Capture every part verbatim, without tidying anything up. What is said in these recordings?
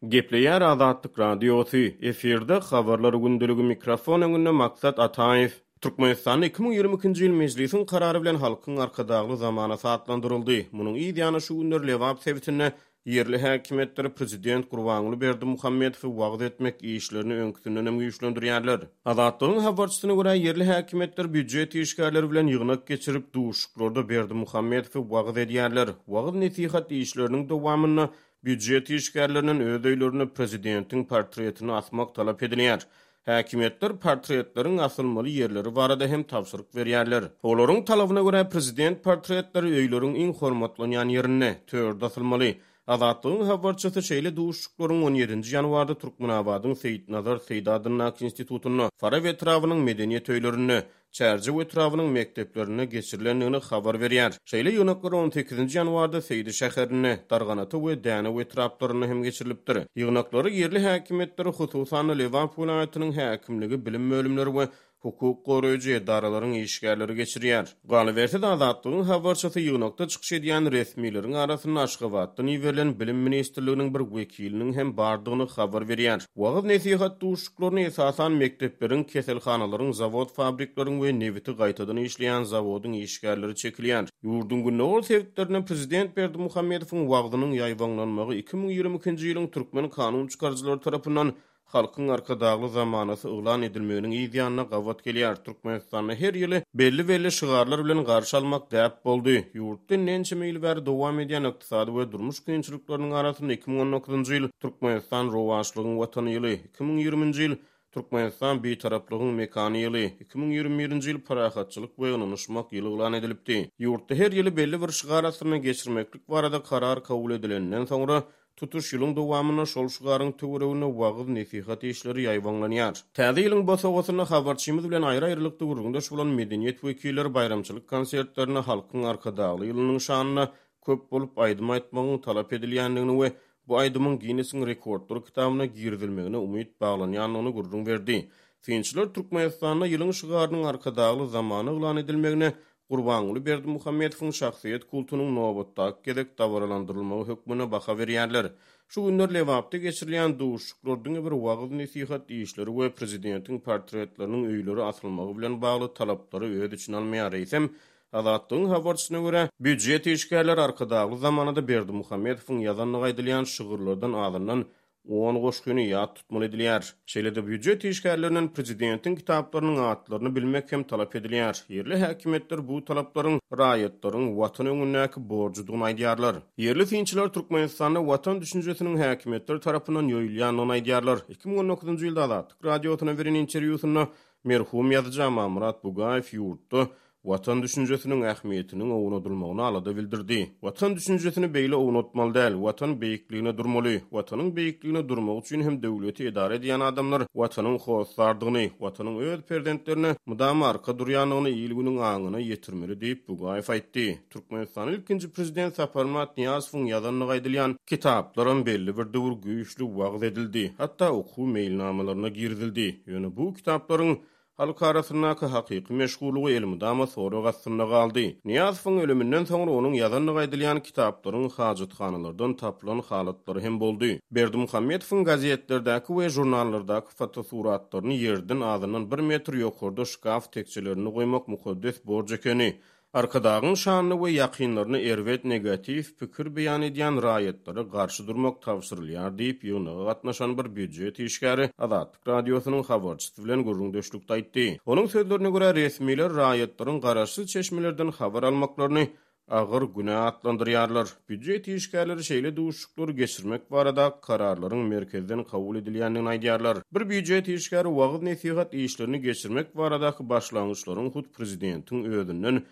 Gepleýär Azatlyk Radiosy, efirde Habarlar gündeligi, mikrofon öňünde Maksat Ataýew. Türkmenistanda iki müň ýigrimi ikinji ýyl Mejlisiň karary bilen Halkyň Arkadagly zamanasy atlandyryldy. Munuň yz ýany şu günler Lebap sebitinde ýerli häkimiýetler prezident Gurbanguly Berdimuhamedowy wagyz etmek işlerini öňküsindenem güýçlendirýärler. Azatlygyň habarçysyna görä, ýerli häkimiýetler býujet işgärleri bilen ýygnak geçirip, duşuşyklarda Berdimuhamedowy wagyz edýärler. Wagyz-nesihat işleriniň dowamynda býujet işgärlerinden öz öýlerinde prezidentiň portretini asmak talap edilýär. Häkimiýetler portretleriň asylmaly ýerleri barada hem tabşyryk berýärler. Olaryň talabyna görä, prezident portretleri öýleriň iň hormatlanýan ýerinde, törde asylmaly. Azatlygyň habarçysy şeýle duşuşyklaryň on ýedinji ýanwarda Türkmenabadyň Seýitnazar Seýdi adyndaky institutynda, Farap etrabynyň medeniýet öýlerinde, Çärjew etrabynyň mekdeplerinde geçirilendigini habar berýär. Şeýle ýygnaklar on sekizinji ýanwarda Seýdi şäherinde, Darganata we Dänew etraplarynda hem geçirilipdir. Ýygnaklary ýerli häkimiýetler, hususan-da Lebap welaýatynyň häkimligi, bilim bölümleri we hukuk goraýjy edaralaryň işgärleri geçirýär. Galyberse-de, Azatlygyň habarçysy ýygnakda çykyş edýän resmileriň arasynda Aşgabatdan iberilen Bilim ministrliginiň bir wekiliniň hem bardygyny habar berýär. Wagyz-nesihat duşuşyklaryny esasan mekdepleriň, keselhanalaryň, zawod-fabrikleriň we nebiti gaýtadan işleýän zawodyň işgärleri çekilýär. Ýurduň gündogar sebitlerinde prezident Berdimuhamedowyň wagzynyň ýaýbaňlanmagy iki müň ýigrimi ikinji ýylyň türkmen kanun çykaryjylary tarapyndan Halkyň Arkadagly zamanasy yglan edilmeginiň yz ýanyna gabat gelýär. Türkmenistanda her ýyly belli-belli şygarlar bilen garşy almak däp boldy. Ýurtda ençeme ýyl bäri dowam edýän ykdysady we durmuş kynçylyklarynyň arasynda iki müň on dokuzynjy ýyl Türkmenistan rowaçlygyň watany ýyly, iki müň ýigriminji ýyl Türkmenistan Bitaraplygyň mekany ýyly, iki müň ýigrimi birinji ýyl Parahatçylyk we ynanyşmak ýyly yglan edilipdi. Ýurtda her ýyly belli bir şygar astynda geçirmeklik barada karar kabul edilenden soňra, tutuş ýylyň dowamynda şol şygaryň töwereginde wagyz-nesihat işleri ýaýbaňlanýar. Täze ýylyň bosagasynda habarçymyz bilen aýry-aýrylykda gürrüňdeş bolan medeniýet wekilleri baýramçylyk konsertlerinde Halkyň Arkadagly ýylynyň şanyna köp bolup aýdym aýtmagyň talap edilýändigini we bu aýdymyň Ginnesiň rekordlar kitabyna girizilmegine umyt baglanýandygyny gürrüň berdi. Synçylar Türkmenistanda ýylyň şygarynyň Arkadagly zamana yglan edilmegine Gurbanguly Berdimuhamedowyň şahsyýet kultunyň nobatdaky gezek dabaralandyrylmagy hökmünde baha berýärler. Şu günler Lebapda geçirilýän duşuşyklar diňe bir wagyz-nesihat işleri we prezidentiň portretleriniň öýlere asylmagy bilen bagly talaplary öz içine almaýar. Eýsem, Azatlygyň habarçysyna görä, býujet işgärleri Arkadagly zamanada Berdimuhamedowyň ýazandygy aýdylýan şygyrlardan azyndan on goşgyny ýat tutmaly edilýär. Şeýle-de býujet işgärlerinden prezidentiň kitaplarynyň atlaryny bilmek hem talap edilýär. Ýerli häkimiýetler bu talaplaryň raýatlaryň watan öňündäki borjudygyny aýdýarlar. Ýerli synçylar Türkmenistanda watan düşünjesiniň häkimiýetler tarapyndan ýoýulýandygyny aýdýarlar. Iki müň on dokuzynjy ýylda Azatlyk Radiosyna beren interwýusynda merhum ýazyjy Amanmyrat Bugaýew ýurtda watan düşünjesiniň ähmiýetiniň ownadylmagyna alada bildirdi. Watan düşünjesini beýle ownatmaly däl, watan beýikligine durmaly. Watanyň beýikligine durmak üçin hem döwleti edara edýän adamlar watanyň hossardygyny, watanyň öz perzentlerine mydama arka durýandygyny il-günüň aňyna ýetirmeli diýip Bugaýew aýtdy. Türkmenistanyň ilkinji prezident Saparmyrat Nyýazowyň ýazandygy aýdylýan kitaplaram belli bir döwür güýçli wagyz edildi, hatda okuw meýilnamalaryna girizildi. Ýöne bu kitaplaryň halk arasyndaky hakyky meşhurlygy elmydama sorag astynda galdy. Nyýazowyň ölüminden soňra onuň ýazandygy aýdylýan kitaplaryň hajathanalardan tapylan halatlary hem boldy. Berdimuhamedowyň gazetlerdäki we žurnallardaky fotosuratlaryny ýerden azyndan bir metr ýokarda şkaf tekjelerinde goýmak mukaddes borç ekeni. Arkadagyň şanyny we ýakynlaryny erbet negatiw pikir beýan edýän raýatlara garşy durmak tabşyrylýar diýip, ýygnaga gatnaşan bir býujet işgäri Azatlyk Radiosynyň habarçysy bilen gürrüňdeşlikde aýtdy. Onuň sözlerine görä, resmiler raýatlaryň garaşsyz çeşmelerden habar almaklaryny agyr günä atlandyrýarlar. Býujet işgärleri şeýle duşuşyklary geçirmek barada kararlaryň merkezden kabul edilýändigini aýdýarlar. Bir býujet işgäri wagyz-nesihat işlerini geçirmek baradaky başlangyçlaryň hut prezidentiň özünden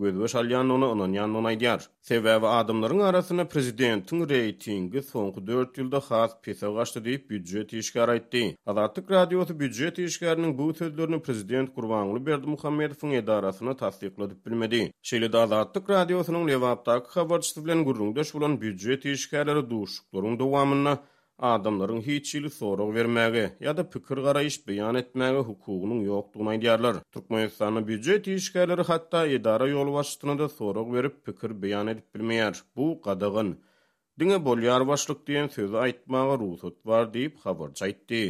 gözbaş alýandygyna ynanýandygyny aýdýar. Sebäbi adamlaryň arasynda prezidentiň reýtingi soňky dört ýylda has pese gaçdy diýip býujet işgäri aýtdy. Azatlyk Radiosy býujet işgäriniň bu sözlerini prezident Gurbanguly Berdimuhamedowyň edarasyna tassykladyp bilmedi. Şeýle-de Azatlyk Radiosynyň Lebapdaky habarçysy bilen gürrüňdeş bolan býujet işgärleri duşuşyklaryň dowamynda adamlaryň hiç hili sorag bermäge ýa-da pikir garaýyş beýan etmäge hukugynyň ýokdugyny aýdýarlar. Türkmenistanda býujet işgärleri hatda edara ýolbaşçysyna-da sorag berip pikir beýan edip bilmeýär. Bu gadagan. Diňe "Bolýar başlyk" diýen sözi aýtmaga rugsat bar diýip, habarçy aýtdy.